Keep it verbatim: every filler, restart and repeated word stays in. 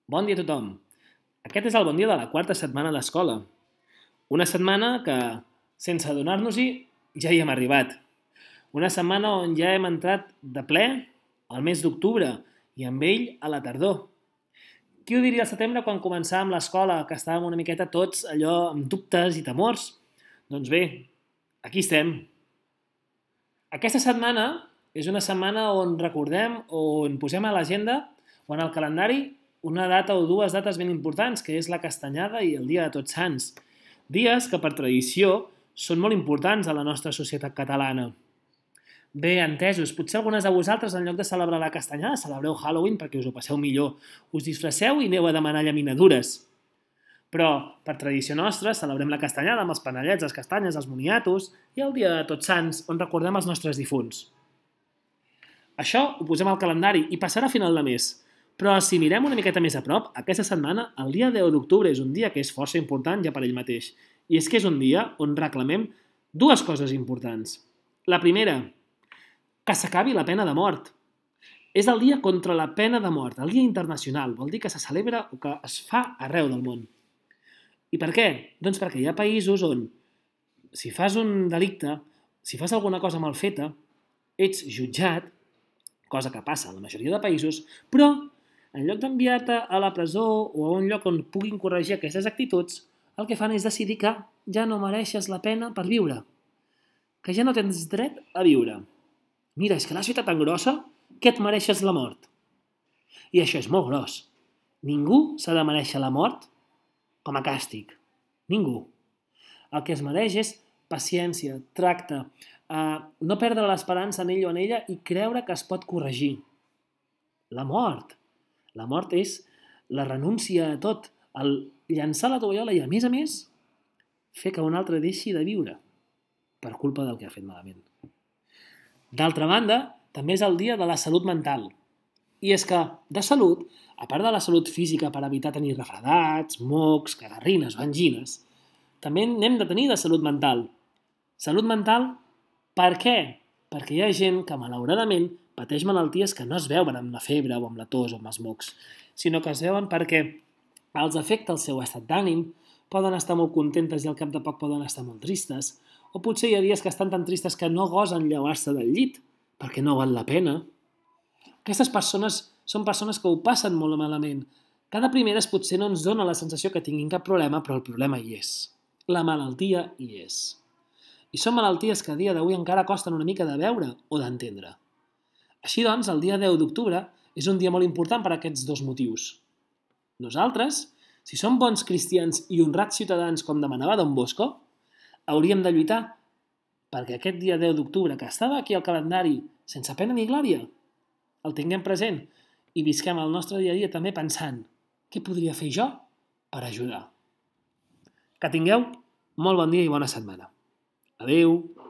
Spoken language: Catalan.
Bon dia a tothom. Aquest és el bon dia de la quarta setmana d'escola. Una setmana que, sense adonar-nos-hi, ja hi hem arribat. Una setmana on ja hem entrat de ple al mes d'octubre i amb ell a la tardor. Qui ho diria al setembre quan començàvem l'escola, que estàvem una miqueta tots allò amb dubtes i temors? Doncs bé, aquí estem. Aquesta setmana és una setmana on recordem o on posem a l'agenda o en el calendari una data o dues dates ben importants, que és la Castanyada i el Dia de Tots Sants. Dies que, per tradició, són molt importants a la nostra societat catalana. Bé, entesos, potser algunes de vosaltres, en lloc de celebrar la Castanyada, celebreu Halloween perquè us ho passeu millor. Us disfresseu i aneu a demanar llaminadures. Però, per tradició nostra, celebrem la Castanyada amb els panellets, les castanyes, els moniatos i el Dia de Tots Sants, on recordem els nostres difunts. Això ho posem al calendari i passarà a final de mes. Però si mirem una miqueta més a prop, aquesta setmana, el dia deu d'octubre és un dia que és força important ja per ell mateix. I és que és un dia on reclamem dues coses importants. La primera, que s'acabi la pena de mort. És el dia contra la pena de mort, el dia internacional. Vol dir que se celebra o que es fa arreu del món. I per què? Doncs perquè hi ha països on, si fas un delicte, si fas alguna cosa mal feta, ets jutjat, cosa que passa a la majoria de països, però en lloc d'enviar-te a la presó o a un lloc on puguin corregir aquestes actituds, el que fan és decidir que ja no mereixes la pena per viure, que ja no tens dret a viure. Mira, és que l'has feta tan grossa que et mereixes la mort. I això és molt gros. Ningú s'ha de mereixer la mort com a càstig. Ningú. El que es mereix és paciència, tracte, eh, no perdre l'esperança en ell o en ella i creure que es pot corregir. La mort. La mort és la renúncia a tot, el llançar la tovallola i, a més a més, fer que un altre deixi de viure per culpa del que ha fet malament. D'altra banda, també és el dia de la salut mental. I és que, de salut, a part de la salut física per evitar tenir refredats, mocs, cagarrines o angines, també n'hem de tenir de salut mental. Salut mental, per què? Perquè hi ha gent que, malauradament, pateix malalties que no es veuen amb la febre o amb la tos o amb els mocs, sinó que es veuen perquè els afecta el seu estat d'ànim, poden estar molt contentes i al cap de poc poden estar molt tristes, o potser hi ha dies que estan tan tristes que no gosen llevar-se del llit, perquè no val la pena. Aquestes persones són persones que ho passen molt malament. Cada primeres potser no ens dona la sensació que tinguin cap problema, però el problema hi és. La malaltia hi és. I són malalties que a dia d'avui encara costen una mica de veure o d'entendre. Així doncs, el dia deu d'octubre és un dia molt important per a aquests dos motius. Nosaltres, si som bons cristians i honrats ciutadans com demanava Don Bosco, hauríem de lluitar perquè aquest dia deu d'octubre, que estava aquí al calendari sense pena ni glòria, el tinguem present i visquem el nostre dia a dia també pensant què podria fer jo per ajudar. Que tingueu molt bon dia i bona setmana. Adéu!